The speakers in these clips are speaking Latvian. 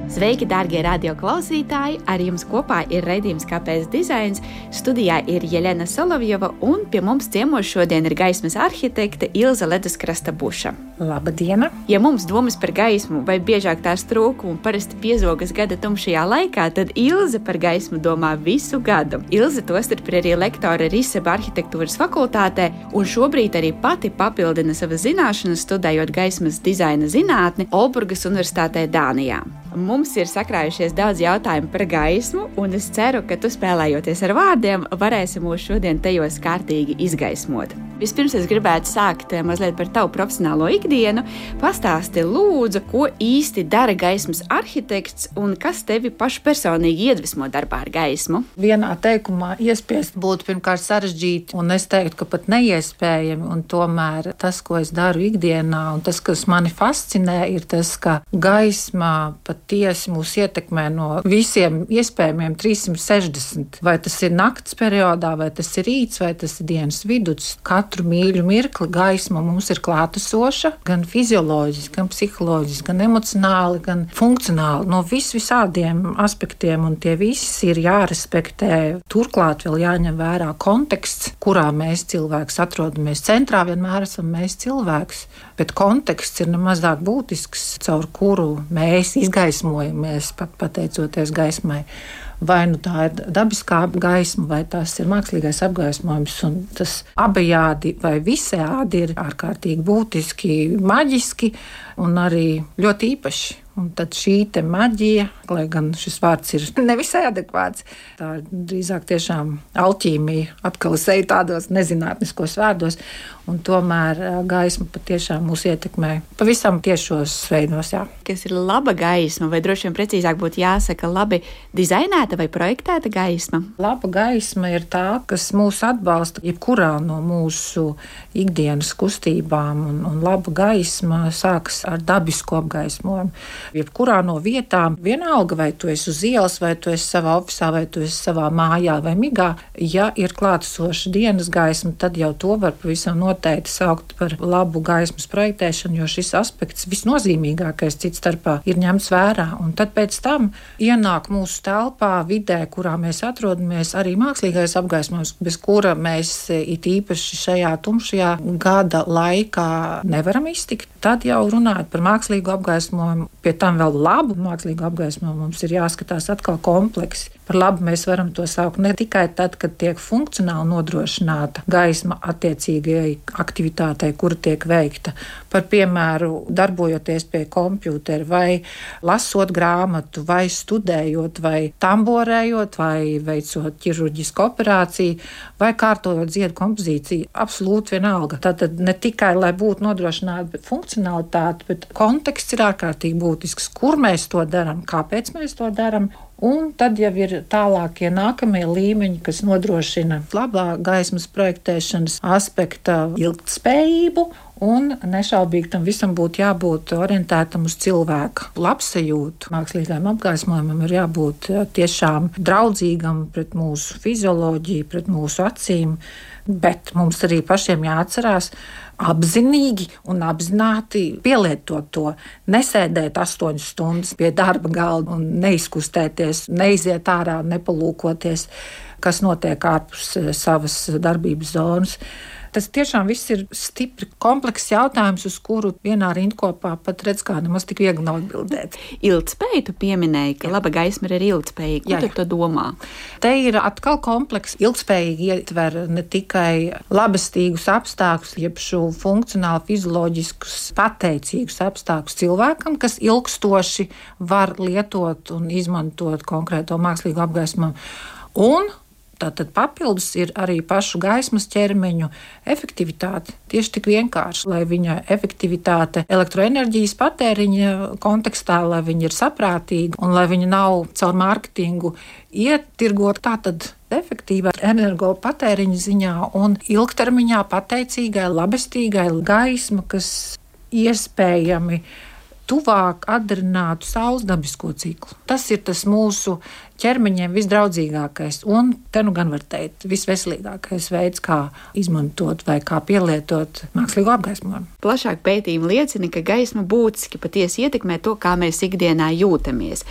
Sveiki, dārgie radioklausītāji! Ar jums kopā ir raidījums Kāpēc dizains. Studijā ir Jelena Solovjova un pie mums ciemos šodien ir gaismas arhitekte Ilze Leduskrasta-Buša. Labdiena! Ja mums domas par gaismu vai biežāk tās trūkumu parasti piezogas gada tumšajā laikā, tad Ilze par gaismu domā visu gadu. Ilze tostarp ir arī lektore RISEB arhitektūras fakultātē un šobrīd arī pati papildina savas zināšanas, studējot gaismas dizaina zinātni Olburgas Universitātē Dānijā. Mums ir sakrājušies daudz jautājumu par gaismu, un es ceru, ka tu spēlējoties ar vārdiem, varēsi mūs šodien tajos kārtīgi izgaismot. Vispirms es gribētu sākt mazliet par tavu profesionālo ikdienu. Pastāsti lūdzu, ko īsti dara gaismas arhitekts un kas tevi pašu personīgi iedvesmo darbā ar gaismu? Vienā teikumā iespiest būtu pirmkārt sarežģīti, un es teiktu, ka pat neiespējami, un tomēr tas, ko es daru ikdienā, un tas, kas mani fascinē, ir tas, ka gaisma patiesi mūs ietekmē no visiem iespējamiem 360. Vai tas ir nakts periodā, vai tas ir rīts, vai tas ir dienas viduts. Katru mīļu mirkli gaisma mums ir klātesoša, gan fizioloģiski, gan psiholoģiski, gan emocionāli, gan funkcionāli. No visādiem aspektiem, un tie visi ir jārespektē. Turklāt vēl jāņem vērā konteksts, kurā mēs cilvēks atrodamies. Centrā vienmēr esam mēs cilvēks, bet konteksts ir nemazāk būtisks, caur kuru mēs izgaismojamies, pateicoties gaismai. Vai nu tā ir dabiskā gaisma, vai tas ir mākslīgais apgaismojums, un tas abejādi vai visējādi ir ārkārtīgi būtiski, maģiski un arī ļoti īpaši. Un tad šī te maģija, lai gan šis vārds ir nevisai adekvāts, tā ir drīzāk tiešām alķīmija, atkal es eju tādos nezinātniskos vārdos, un tomēr gaisma patiešām mūs ietekmē pavisam tiešos veidos, jā. Kas ir laba gaisma, vai droši vien precīzāk būtu jāsaka labi dizainēta vai projektēta gaisma? Laba gaisma ir tā, kas mūs atbalsta jebkurā no mūsu ikdienas kustībām, un laba gaisma sākas ar dabisku apgaismojumu. Jebkurā no vietām, vienalga vai tu esi uz ielas, vai tu esi savā ofisā, vai tu esi savā mājā vai migā, ja ir klātesoša dienas gaisma, tad jau to var pavisam noteikti saukt par labu gaismas projektēšanu, jo šis aspekts visnozīmīgākais cits starpā ir ņemts vērā. Un tad pēc tam ienāk mūsu telpā, vidē, kurā mēs atrodamies, arī mākslīgais apgaismojums, bez kura mēs it īpaši šajā tumšajā gada laikā nevaram iztikt. Tad jau runājot par mākslīgu apgaismojumu, pie tam vēl labu mākslīgu apgaismojumu, mums ir jāskatās atkal kompleksi. Par labu mēs varam to saukt ne tikai tad, kad tiek funkcionāli nodrošināta gaisma attiecīgajai aktivitātei, kura tiek veikta. Par piemēru, darbojoties pie kompjūtera, vai lasot grāmatu, vai studējot, vai tamborējot, vai veicot ķirurģisku operāciju, vai kārtojot dziedu kompozīciju. Absolūti vienalga. Tātad ne tikai, lai būtu nodrošināta funkcionalitāte, bet konteksts ir ārkārtīgi būtisks. Kur mēs to darām, kāpēc mēs to darām? Un tad jau ir tālākie nākamie līmeņi, kas nodrošina labā gaismas projektēšanas aspekta ilgtspējību, un nešaubīgi tam visam būtu jābūt orientētam uz cilvēka labsajūtu. Mākslīgajam apgaismojumam ir jābūt tiešām draudzīgam pret mūsu fizioloģiju, pret mūsu acīm, bet mums arī pašiem jāatcerās apzinīgi un apzināti pielietot to. Nesēdēt 8 stundas pie darba galda un neizkustēties, neiziet ārā, nepalūkoties, kas notiek ārpus savas darbības zonas. Tas tiešām viss ir stipri komplekss jautājums, uz kuru vienā rindkopā pat redz, kā nemaz tik viegli nav atbildēt. Ilgtspēju tu pieminēji, ka laba gaisma ir ilgtspējīga. Ko tu domā? Te ir atkal komplekss. Ilgtspējīgi ietver ne tikai labestīgus apstākļus, jeb šo funkcionāli fizioloģiskus pateicīgus apstākļus cilvēkam, kas ilgstoši var lietot un izmantot konkrēto mākslīgo apgaismojumu. Un tātad papildus ir arī pašu gaismas ķermeņu efektivitāte. Tieši tik vienkārši, lai viņa efektivitāte elektroenerģijas patēriņa kontekstā, lai viņa ir saprātīga un lai viņa nav caur mārketingu ietirgot tātad efektīvā energopatēriņa ziņā un ilgtermiņā pateicīgai, labestīgai gaisma, kas iespējami tuvāk atdarinātu saules dabisko ciklu. Tas ir tas mūsu ķermeņiem visdraudzīgākais un, te nu gan var teikt, visveselīgākais veids, kā izmantot vai kā pielietot mākslīgo apgaismojumu. Plašāk pētījumi liecina, ka gaisma būtiski patiesi ietekmē to, kā mēs ikdienā jūtamies.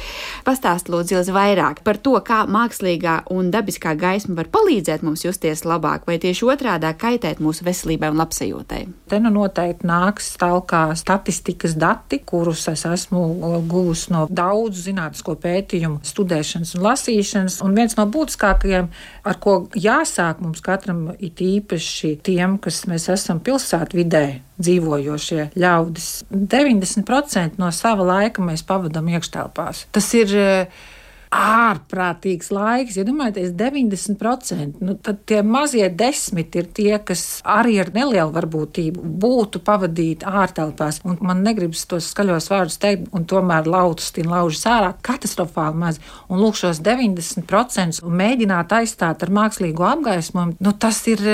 Pastāst lūdzu Ilze vairāk par to, kā mākslīgā un dabiskā gaisma var palīdzēt mums justies labāk, vai tieši otrādā kaitēt mūsu veselībai un labsajūtai. Te nu noteikti nāks talkā statistikas dati, kurus es esmu guvusi no daudzu zinātnisko pētījumu studēšanas un lasīšanas. Un viens no būtiskākajiem, ar ko jāsāk mums katram, it īpaši tiem, kas mēs esam pilsētvidē dzīvojošie ļaudis, 90% no sava laika mēs pavadām iekštelpās. Tas ir ārprātīgs laiks, ja domājaties 90%, tad tie mazie 10 ir tie, kas arī ar nelielu varbūtību būtu pavadīti ārtelpās. Un man negribas tos skaļos vārdus teikt, un tomēr laužas ārā katastrofāli maz. Un lūk, šos 90% un mēģināt aizstāt ar mākslīgo apgaismojumu, tas ir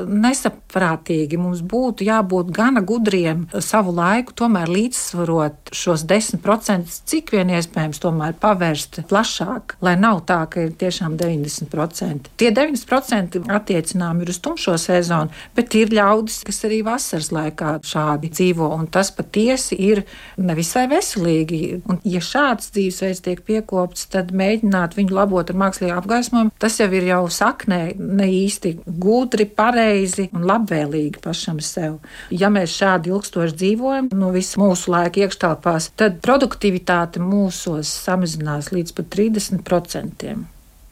nesaprātīgi. Mums būtu jābūt gana gudriem savu laiku, tomēr līdzsvarot šos 10%, cik vien iespējams tomēr pavērst plašāk. Lai nav tā, ka ir tiešām 90%. Tie 90% attiecinām ir uz tumšo sezonu, bet ir ļaudis, kas arī vasaras laikā šādi dzīvo, un tas patiesi ir nevisai veselīgi. Un, ja šāds dzīvesveids tiek piekopts, tad mēģināt viņu labot ar mākslīgu apgaismojumu, tas jau ir jau saknē ne īsti gudri, pareizi un labvēlīgi pašam sev. Ja mēs šādi ilgstoši dzīvojam, no visu mūsu laika iekštelpās, tad produktivitāte mūsos samazinās līdz pat 30%.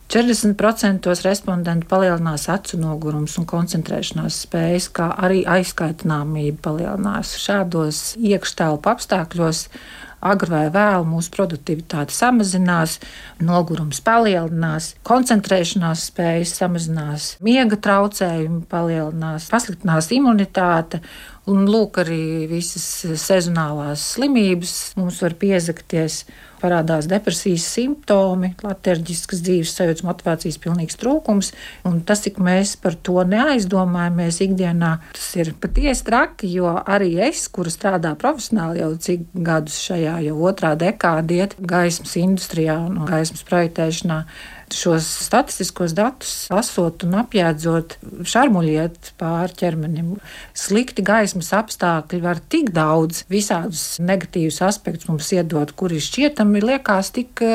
40% respondentu palielinās acu nogurums un koncentrēšanās spējas, kā arī aizkaitināmība palielinās. Šādos iekštelpu apstākļos agri vai vēlu mūsu produktivitāte samazinās, nogurums palielinās, koncentrēšanās spējas samazinās, miega traucējumi palielinās, pasliktinās imunitāte. Un lūk, arī visas sezonālās slimības mums var piezakties, parādās depresijas simptomi, letarģiskas dzīves sajūtas, motivācijas pilnīgs trūkums. Un tas, cik mēs par to neaizdomājamies ikdienā, tas ir patiesi traki, jo arī es, kura strādā profesionāli jau cik gadus šajā jau otrā dekāde iet gaismas industrijā un gaismas projektēšanā, šos statistiskos datus lasot un apjēdzot, šarmuļiet pāri ķermenim. Slikti gaismas apstākļi var tik daudz visādus negatīvus aspektus mums iedot, kuri šķietami liekas tik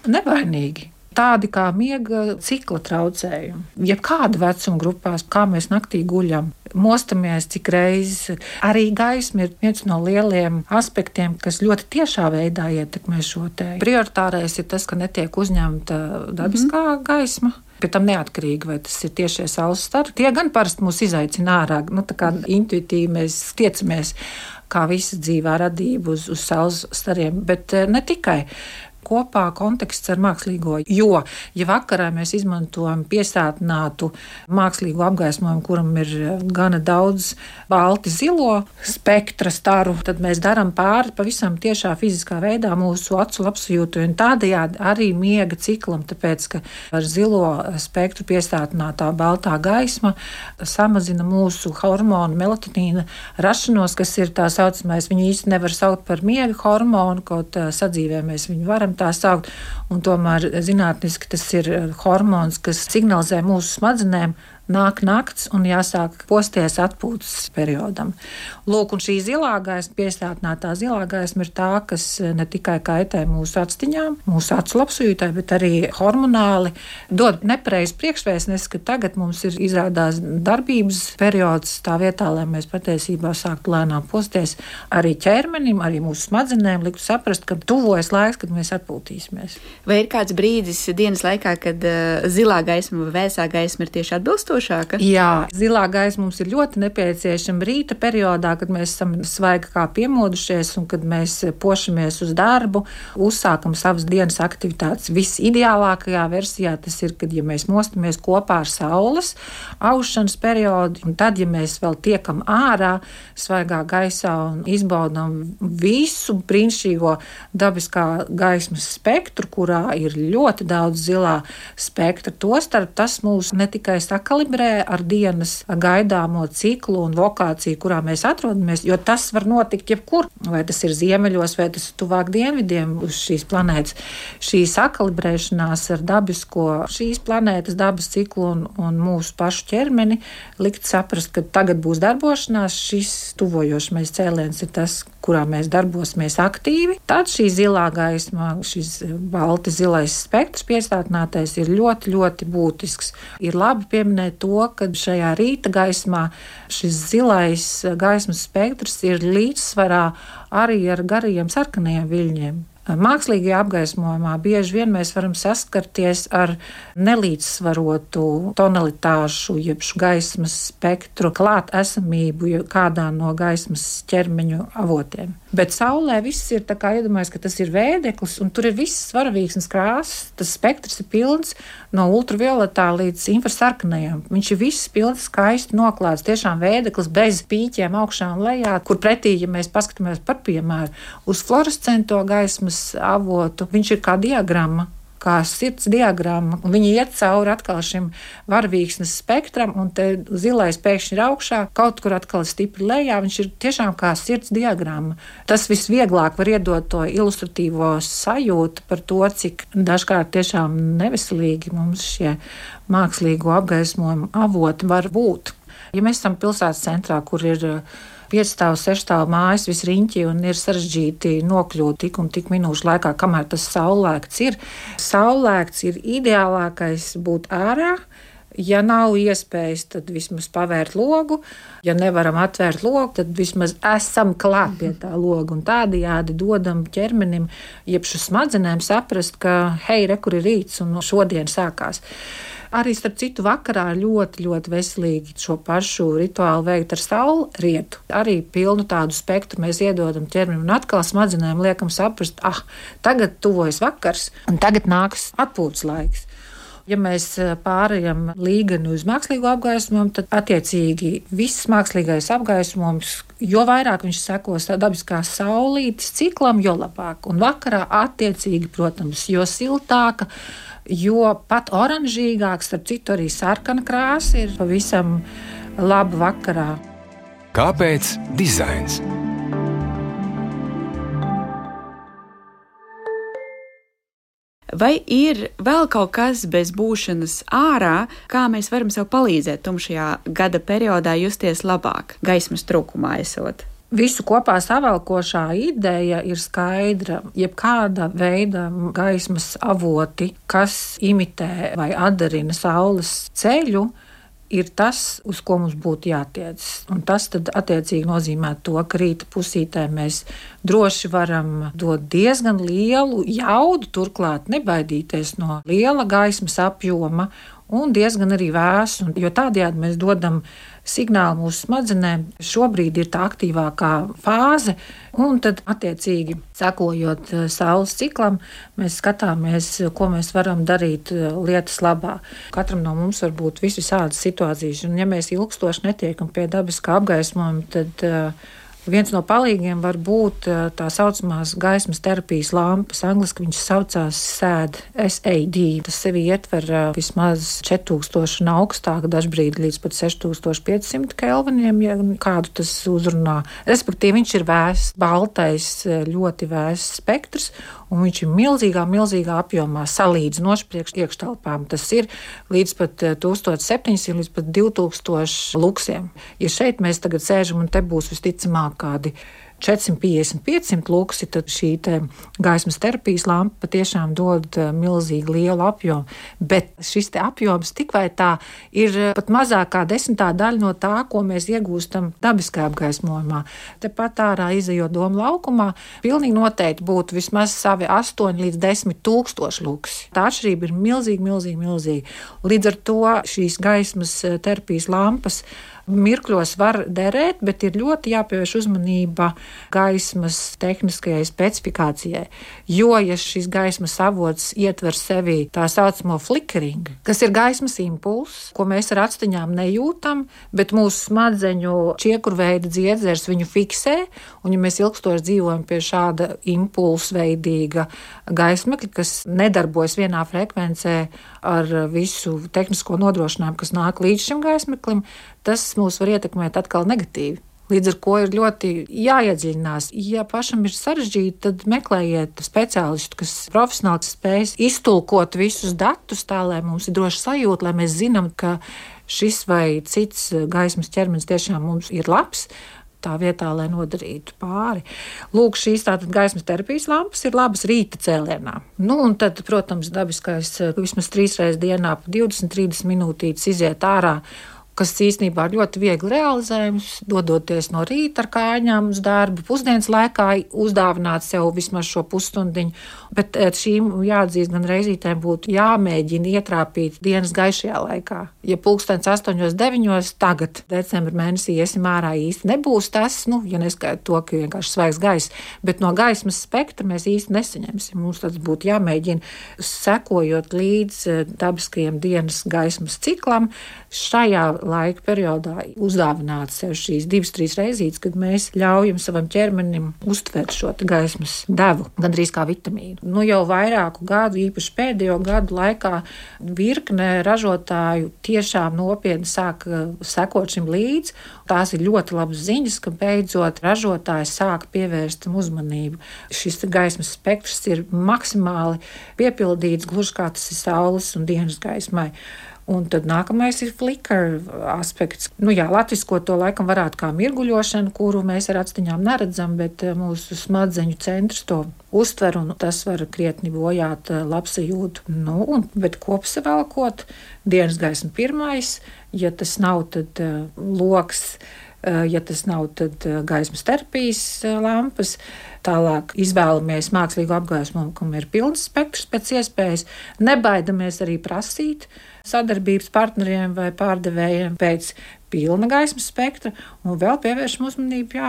nevainīgi. Tādi kā miega cikla traucējumi. Jebkāda vecuma grupās, kā mēs naktī guļam, mostamies cik reizes. Arī gaisma ir viens no lieliem aspektiem, kas ļoti tiešā veidā ietekmē šo te. Prioritārais ir tas, ka netiek uzņemta dabiskā gaisma. Pie tam neatkarīgi, vai tas ir tiešie saules stari. Tie gan parasti mūs izaicina ārā. Tā kā intuitīvi mēs tiecamies, kā visa dzīvā radība uz saules stariem, bet ne tikai. Kopā konteksts ar mākslīgo, jo, ja vakarā mēs izmantojam piesātinātu mākslīgo apgaismojumu, kuram ir gana daudz balti zilo spektra staru, tad mēs darām pāri pavisam tiešā fiziskā veidā mūsu acu labsajūtu un tādējādi arī miega ciklam, tāpēc, ka ar zilo spektru piesātinātā baltā gaisma samazina mūsu hormonu melatonīna rašanos, kas ir tā saucamais, viņu īsti nevar saukt par miega hormonu, kaut sadzīvē mēs viņu varam tā saukt, un tomēr zinātniski tas ir hormons, kas signalizē mūsu smadzenēm, nāk nakts un jāsāk posties atpūtas periodam. Lūk, un šī zilā gaisma, piesātinātā zilā gaisma ir tā, kas ne tikai kaitē mūsu acstiņām, mūsu acu labsajūtai, bet arī hormonāli dod nepareizu priekšvēstnesi, ka tagad mums ir izrādās darbības periods tā vietā, lai mēs patiesībā sāktu lēnām posties arī ķermenim, arī mūsu smadzenēm, liktu saprast, ka tuvojas laiks, kad mēs atpūtīsimies. Vai ir kāds brīdis dienas laikā, kad zilā gaisma vai vēsā gaisma ir tieši atbilstoša? Jā, zilā gaisma mums ir ļoti nepieciešama rīta periodā, kad mēs esam svaigi kā piemodušies un kad mēs pošamies uz darbu, uzsākam savas dienas aktivitātes. Visideālākajā versijā tas ir, kad ja mēs mostamies kopā ar saules aušanas periodu, un tad, ja mēs vēl tiekam ārā svaigā gaisā un izbaudam visu brīnišķīgo dabiskā gaismas spektru, kurā ir ļoti daudz zilā spektra, tostarp tas mūs ne tikai sakali kalibrē ar dienas gaidāmo ciklu un lokāciju, kurā mēs atrodamies, jo tas var notikt jebkur. Vai tas ir ziemeļos, vai tas ir tuvāk dienvidiem uz šīs planētas. Šī sakalibrēšanās ar dabisko šīs planētas dabas ciklu un mūsu pašu ķermeni likt saprast, ka tagad būs darbošanās, šis tuvojošais cēliens ir tas, kurā mēs darbosimies aktīvi. Tad šī zilā gaisma, šis balti zilais spektrs piesātinātais ir ļoti, ļoti būtisks. Ir labi pieminēt to, ka šajā rīta gaismā šis zilais gaismas spektrs ir līdzsvarā arī ar garajiem sarkanajiem viļņiem. Mākslīgajā apgaismojumā bieži vien mēs varam saskarties ar nelīdzsvarotu tonalitāšu, jeb gaismas spektru klāt esamību kādā no gaismas ķermeņu avotiem. Bet saulē viss ir tā kā iedomājas, ka tas ir vēdeklis, un tur ir visas varavīksnes krāsas. Tas spektrs ir pilns no ultravioletā līdz infrasarkanajam. Viņš ir viss pilns, skaisti noklāts, tiešām vēdeklis bez pīķiem augšā un lejā, kur pretī, ja mēs paskatāmies par piemēru uz fluorescento gaismas avotu, viņš ir kā diagramma, kā sirds diagramma, un viņi iet cauri atkal šim varavīksnes spektram, un te zilais pēkšņi ir augšā, kaut kur atkal stipri lejā, viņš ir tiešām kā sirds diagramma. Tas visvieglāk var iedot to ilustratīvo sajūtu par to, cik dažkārt tiešām neveselīgi mums šie mākslīgo apgaismojumu avoti var būt. Ja mēs esam pilsētas centrā, kur ir 5 6 mājas visriņķi un ir sarežģīti nokļūt tik un tik minūšu laikā, kamēr tas saulēkts ir. Saulēkts ir ideālākais būt ārā. Ja nav iespējas, tad vismaz pavērt logu. Ja nevaram atvērt logu, tad vismaz esam klāt pie tā loga un tādējādi dodam ķermenim, jeb šo smadzenēm saprast, ka hei, re, kur ir rīts un šodien sākās. Arī starp citu vakarā ļoti, ļoti veselīgi šo pašu rituālu veikt ar saulrietu. Arī pilnu tādu spektru mēs iedodam ķermenim un atkal smadzenēm liekam saprast, tagad tuvojas vakars un tagad nāks atpūtas laiks. Ja mēs pārējam līgani uz mākslīgo apgaismojumu, tad attiecīgi viss mākslīgais apgaismojums, jo vairāk viņš sekos dabiskās saulītes ciklam, jo labāk. Un vakarā attiecīgi, protams, jo siltāka, jo pat oranžīgāks, starp citu arī sarkana krāsa ir pavisam laba vakarā. Kāpēc dizains? Vai ir vēl kaut kas bez būšanas ārā, kā mēs varam sev palīdzēt tumšajā gada periodā justies labāk, gaismas trūkumā esot? Visu kopā savalkošā ideja ir skaidra. Jebkāda veida gaismas avoti, kas imitē vai atdarina saules ceļu, ir tas, uz ko mums būtu jātiec. Un tas tad attiecīgi nozīmē to, ka rīta pusītē mēs droši varam dot diezgan lielu jaudu, turklāt nebaidīties no liela gaismas apjoma un diezgan arī vēsu, jo tādējādi mēs dodam signālu mūsu smadzenēm. Šobrīd ir tā aktīvākā fāze, un tad attiecīgi sekojot saules ciklam, mēs skatāmies, ko mēs varam darīt lietas labā. Katram no mums var būt visādas situācijas, un ja mēs ilgstoši netiekam pie dabiskā apgaismojuma, tad viens no palīgiem var būt tā saucamās gaismas terapijas lampas. Angliski viņš saucās SAD. Tas sevi ietver vismaz 4000 un augstāk, dažbrīd līdz pat 6500 kelviniem, ja kādu tas uzrunā. Respektīvi, viņš ir vēss, baltais, ļoti vēss spektrs, un viņš ir milzīgā apjomā salīdzinoši priekš iekštelpām. Tas ir līdz pat 1700 līdz pat 2000 luksiem. Ja šeit mēs tagad sēžam un te būs visticamāk kādi 450-500 luksi, tad šī gaismas terapijas lampa patiešām dod milzīgi lielu apjomu. Bet šis apjoms tik vai tā ir pat mazāk kā 10. daļa no tā, ko mēs iegūstam dabiskajā apgaismojumā. Tepat ārā izejot domu laukumā, pilnīgi noteikti būtu vismaz savi 8 līdz 10 tūkstoši luksi. Tā atšķirība ir milzīga. Līdz ar to šīs gaismas terapijas lampas Mirkļos var derēt, bet ir ļoti jāpievērš uzmanība gaismas tehniskajai specifikācijai. Jo, ja šis gaismas avots ietver sevī tā saucamo flickering, kas ir gaismas impulss, ko mēs ar actiņām nejūtam, bet mūsu smadzeņu čiekurveida dziedzers viņu fiksē, un ja mēs ilgstoši dzīvojam pie šāda impulsveidīga gaismekļa, kas nedarbojas vienā frekvencē ar visu tehnisko nodrošinājumu, kas nāk līdz šim gaismeklim, tas mūs var ietekmēt atkal negatīvi. Līdz ar to ir ļoti jāiedziļinās. Ja pašam ir sarežģīti, tad meklējiet speciālistu, kas profesionāli spēj iztulkot visus datus tā, lai mums ir droši sajūta, lai mēs zinām, ka šis vai cits gaismas ķermenis tiešām mums ir labs, tā vietā, lai nodarītu pāri. Lūk, šīs tātad gaismas terapijas lampas ir labas rīta cēlienā. Un tad, protams, dabiskais vismaz 3 reizes dienā pa 20-30 minūtītes iziet ārā, kas īstenībā ir ļoti viegli realizējams, dodoties no rīta ar kājām uz darbu, pusdienas laikā uzdāvināt sev vismaz šo pusstundiņu, bet šīm jāatzīst gan reizītēm būtu jāmēģina ietrāpīt dienas gaišajā laikā. Ja 8:09 tagad, decembra mēnesī, iesim ārā īsti nebūs tas, ja neskaita to, ka vienkārši svaigs gaiss, bet no gaismas spektra mēs īsti nesaņemsim. Mums tas būtu jāmēģina sekojot līdz dabiskajam dienas gaismas ciklam, šajā laika periodā uzdāvināt sev šīs 2-3 reizītes, kad mēs ļaujam savam ķermenim uztvert šo gaismas devu, gandrīz kā vitamīnu. Jau vairāku gadu, īpaši pēdējo gadu laikā, virkne ražotāju tiešām nopietni sāk sekot šim līdzi. Tās ir ļoti labas ziņas, ka beidzot ražotāji sāk pievērst tam uzmanību. Šis gaismas spektrs ir maksimāli piepildīts, gluži kā tas ir saules un dienas gaismai. Un tad nākamais ir flicker aspekts. Latvisko to laikam varētu kā mirguļošana, kuru mēs ar actiņām neredzam, bet mūsu smadzeņu centrs to uztver, un tas var krietni bojāt labsajūtu. Bet kopsavilkot, dienas gaisma pirmais, ja tas nav, tad loks, ja tas nav, tad gaismas terapijas lampas. Tālāk izvēlamies mākslīgu apgaismojumu, kam ir pilns spektrs pēc iespējas. Nebaidamies arī prasīt sadarbības partneriem vai pārdevējiem pēc pilna gaismas spektra, un vēl pievēršam uzmanību,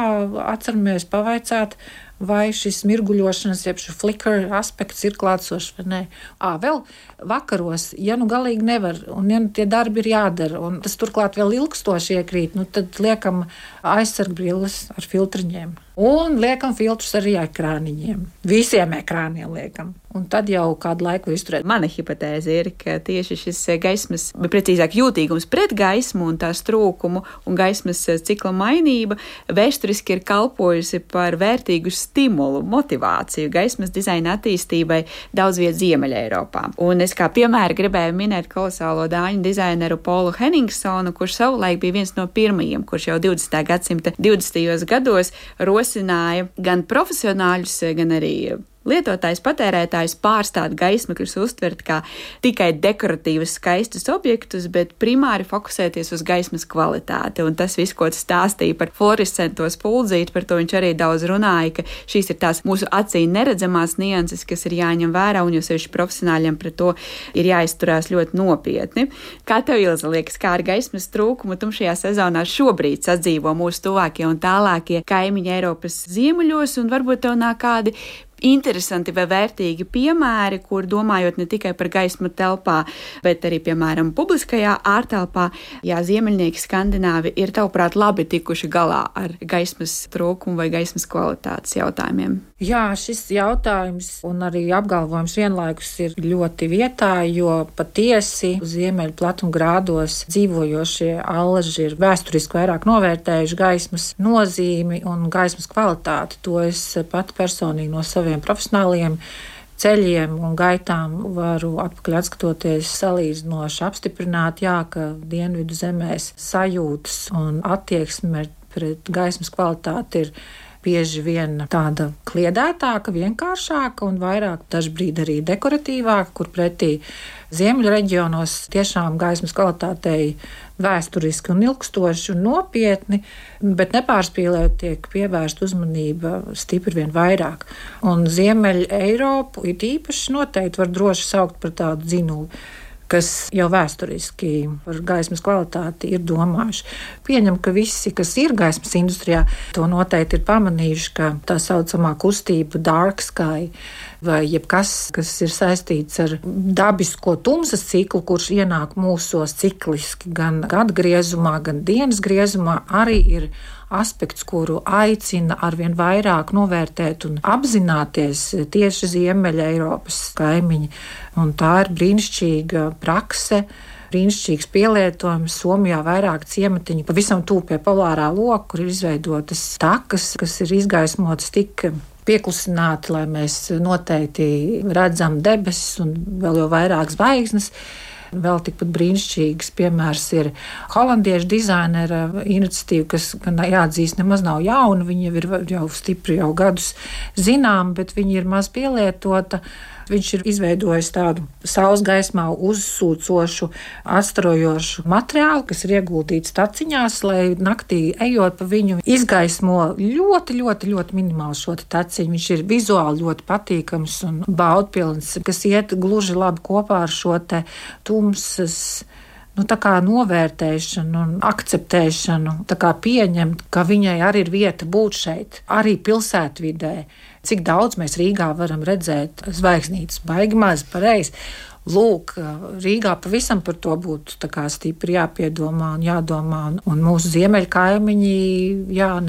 atceramies pavaicāt, vai šis mirguļošanas, jeb šis flicker aspekts ir klātsošs vai nē. Vēl vakaros, ja galīgi nevar, un ja tie darbi ir jādara, un tas turklāt vēl ilgstoši iekrīt, tad liekam aizsargbrilles ar filtriņiem. Un liekam filtrus arī ekrāniņiem. Visiem ekrāniem liekam. Un tad jau kādu laiku izturēt. Mana hipotēze ir, ka tieši šis gaismas, bet precīzāk jūtīgums pret gaismu un tās trūkumu un gaismas cikla mainība vēsturiski ir kalpojusi par vērtīgu stimulu, motivāciju gaismas dizaina attīstībai daudz viet Ziemeļa Eiropā. Un es kā piemēru gribēju minēt kolosālo dāņu dizaineru Polu Henningsonu, kurš savulaik bija viens no pirmajiem, kurš jau 20. gadsimta 20. gados rosināja gan profesionāļus, gan arī lietotājs, patērētājs pārstāt gaismekļus uztvert kā tikai dekoratīvus, skaistus objektus, bet primāri fokusēties uz gaismas kvalitāti. Un tas viss, ko tas stāstīja par fluorescento spuldzīti, par to viņš arī daudz runāja, ka šīs ir tās mūsu acī neredzamās nianses, kas ir jāņem vērā, un jo sevišķi profesionāļiem pret to ir jāizturās ļoti nopietni. Kā tev, Ilze, liekas, kā ar gaismas trūkumu tumšajā sezonā šobrīd sadzīvo mūsu tuvākie un tālākie kaimiņi Eiropas ziemeļos, un varbūt tev nāk kādi interesanti vai vērtīgi piemēri, kur domājot ne tikai par gaismu telpā, bet arī, piemēram, publiskajā ārtelpā, ziemeļnieki skandināvi ir, tavuprāt, labi tikuši galā ar gaismas trūkumu vai gaismas kvalitātes jautājumiem? Šis jautājums un arī apgalvojums vienlaikus ir ļoti vietā, jo patiesi ziemeļu platumgrādos dzīvojošie allaži ir vēsturiski vairāk novērtējuši gaismas nozīmi un gaismas kvalitāti. To es pat personīgi no saviem profesionāliem ceļiem un gaitām varu atpakaļ atskatoties salīdzinoši apstiprināt, ka dienvidu zemēs sajūtas un attieksme pret gaismas kvalitāti ir bieži vien tāda kliedētāka, vienkāršāka un vairāk dažbrīd arī dekoratīvāka, kur pretī ziemeļu reģionos tiešām gaismas kvalitātei vēsturiski un ilgstoši un nopietni, bet nepārspīlēt tiek pievērsta uzmanība stipri vien vairāk. Un Ziemeļa Eiropu it īpaši noteikti var droši saukt par tādu dzinulu. kas jau vēsturiski par gaismas kvalitāti ir domājuši. Pieņem, ka visi, kas ir gaismas industrijā, to noteikti ir pamanījuši, ka tā saucamā kustība dark sky vai jebkas, kas ir saistīts ar dabisko tumsas ciklu, kurš ienāk mūsos cikliski gan gada griezumā, gan dienas griezumā, arī ir aspekts, kuru aicina arvien vairāk novērtēt un apzināties tieši Ziemeļa Eiropas kaimiņi. Un tā ir brīnišķīga prakse, brīnišķīgs pielietojums. Somijā vairāk ciematiņi pavisam tuvu pie polārā loka, kur ir izveidotas takas, kas ir izgaismotas tik pieklusināti, lai mēs noteikti redzam debesis un vēl jau vairāk zvaigznes. Vēl tikpat brīnišķīgs piemērs ir holandiešu dizainera iniciatīva, kas, gan jāatzīst, nemaz nav jauna. Viņa ir jau stipri jau gadus zinām, bet viņa ir maz pielietota. Viņš ir izveidojis tādu saules gaismā uzsūcošu, atstarojošu materiālu, kas ir ieguldīts taciņās, lai naktī ejot pa viņu izgaismo ļoti minimāli šo taciņu. Viņš ir vizuāli ļoti patīkams un baudpilns, kas iet gluži labi kopā ar šo te tumsas tā kā novērtēšanu un akceptēšanu, tā kā pieņemt, ka viņai arī ir vieta būt šeit, arī pilsētvidē. Cik daudz mēs Rīgā varam redzēt zvaigznītes, baigi maz, pareizi. Lūk, Rīgā pavisam par to būtu tā kā stipri jāpiedomā un jādomā. Un mūsu ziemeļu kaimiņi,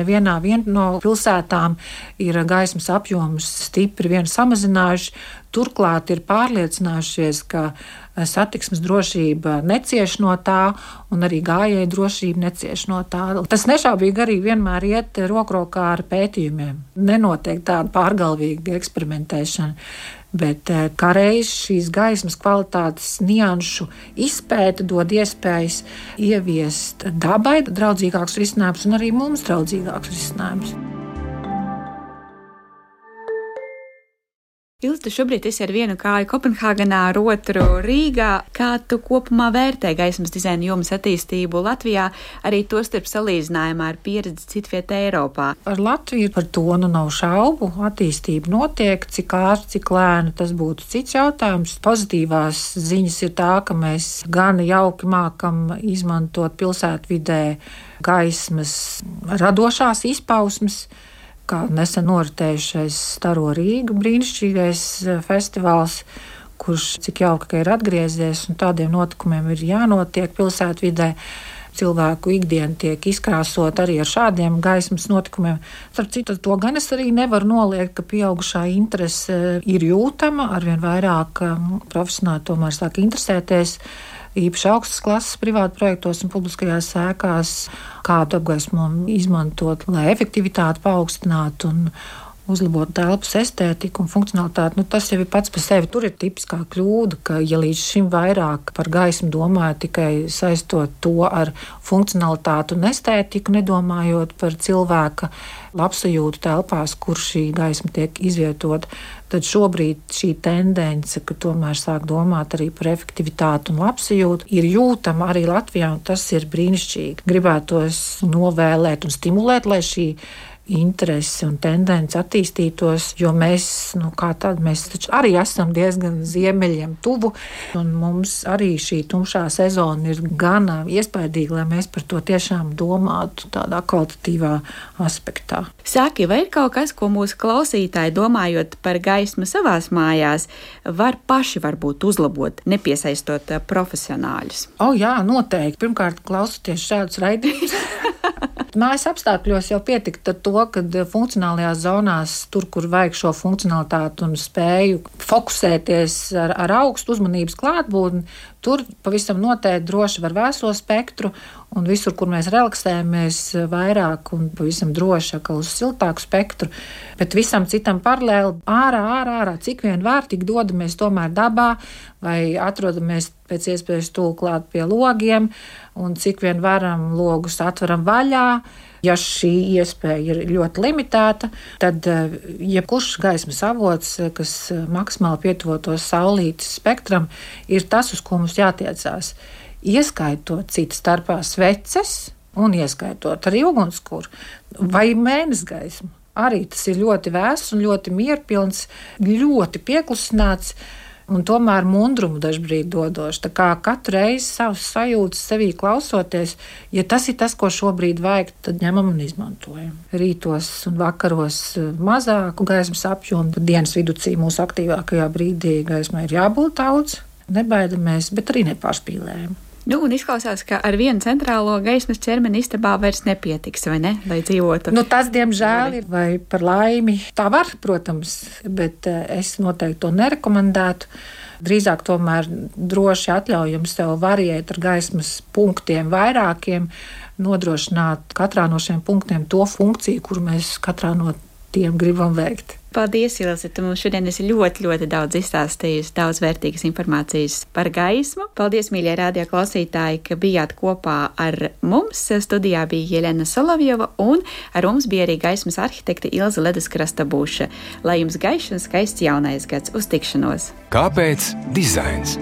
nevienā no pilsētām ir gaismas apjomus stipri vien samazinājuši. Turklāt ir pārliecinājušies, ka satiksmes drošība necieš no tā, un arī gājēju drošība necieš no tā. Tas nešaubīgi arī vienmēr iet rokrokā ar pētījumiem. Nenotiek tāda pārgalvīga eksperimentēšana, bet kā reiz šīs gaismas kvalitātes nianšu izpēte dod iespējas ieviest dabai draudzīgākus risinājumus un arī mums draudzīgākus risinājumus. Ilze, tu šobrīd esi ar vienu kāju Kopenhāgenā, ar otru Rīgā. Kā tu kopumā vērtē gaismas dizaina jomas attīstību Latvijā, arī tostarp salīdzinājumā ar pieredzi citvietā Eiropā? Ar Latviju par to nav šaubu. Attīstība notiek, cik ātri, cik lēni, tas būtu cits jautājums. Pozitīvās ziņas ir tā, ka mēs gan jauki mākam izmantot pilsētvidē gaismas radošās izpausmes, kā nesen noritējušais Staro Rīgu brīnišķīgais festivāls, kurš cik jauki ir atgriezies, un tādiem notikumiem ir jānotiek pilsētvidē. Cilvēku ikdiena tiek izkrāsot arī ar šādiem gaismas notikumiem. Starp citu, to gan es arī nevaru noliegt, ka pieaugušā interese ir jūtama, arvien vairāk profesionāli tomēr sāk interesēties īpaši augstas klases privāta projektos un publiskajās ēkās, kādu apgaismojumu izmantot, lai efektivitāti paaugstinātu un uzlabot telpas estētiku un funkcionalitāti. Tas jau ir pats par sevi. Tur ir tipiskā kļūda, ka ja līdz šim vairāk par gaismu domāju tikai saistot to ar funkcionalitāti un estētiku, nedomājot par cilvēka labsajūtu telpās, kur šī gaisma tiek izvietota, tad šobrīd šī tendence, ka tomēr sāk domāt arī par efektivitāti un labsajūtu, ir jūtama arī Latvijā, un tas ir brīnišķīgi. Gribētos novēlēt un stimulēt, lai šī interesi un tendence attīstītos, jo mēs taču arī esam diezgan ziemeļiem tuvu, un mums arī šī tumšā sezona ir gan iespaidīga, lai mēs par to tiešām domātu tādā kvalitatīvā aspektā. Saki, vai ir kaut kas, ko mūsu klausītāji, domājot par gaismu savās mājās, var paši varbūt uzlabot, nepiesaistot profesionāļus? Jā, noteikti. Pirmkārt, klausoties šādus raidījumus. Mājas apstākļos jau pietiktu ar to, ka funkcionālajās zonās, tur, kur vajag šo funkcionalitāti un spēju fokusēties ar augstu uzmanības klātbūtni, tur pavisam noteikti droši var vēso spektru, un visur, kur mēs relaksējamies vairāk un pavisam droši uz siltāku spektru, bet visam citam paralēli ārā, cik vien var, tik dodamies tomēr dabā vai atrodamies pēc iespējas tuvu klāt pie logiem, un cik vien varam logus atveram vaļā. Ja šī iespēja ir ļoti limitēta, tad jebkurš gaismas avots, kas maksimāli pietuvotos saulītes spektram, ir tas, uz ko mums jātiecās. Ieskaitot citas starpā sveces un ieskaitot arī ugunskura vai mēnesgaismu. Arī tas ir ļoti vēss un ļoti mierpilns, ļoti pieklusināts. un tomēr mundrumu dažbrīd dodoši. Tā kā katru reizi savus sajūtas sevī klausoties, ja tas ir tas, ko šobrīd vajag, tad ņemam un izmantojam. Rītos un vakaros mazāku gaismas apjomu, tad dienas viducī mūsu aktīvākajā brīdī gaismai ir jābūt daudz. Nebaidamies, bet arī nepārspīlējam. Un izklausās, ka ar vienu centrālo gaismas ķermeni istabā vairs nepietiks, vai ne, lai dzīvotu? Tas, diemžēl, ir vai par laimi. Tā var, protams, bet es noteikti to nerekomendētu. Drīzāk tomēr droši atļaujam sev variēt ar gaismas punktiem vairākiem, nodrošināt katrā no šiem punktiem to funkciju, kuru mēs katrā no tiem gribam veikt. Paldies, Ilze, tu mums šodien esi ļoti, ļoti daudz izstāstījusi, daudz vērtīgas informācijas par gaismu. Paldies, mīļie radio klausītāji, ka bijāt kopā ar mums. Studijā bija Jelena Solovjova un ar mums bija arī gaismas arhitekte Ilze Leduskrasta-Buša. Lai jums gaišs un skaists jaunais gads! Uz tikšanos! Kāpēc dizains?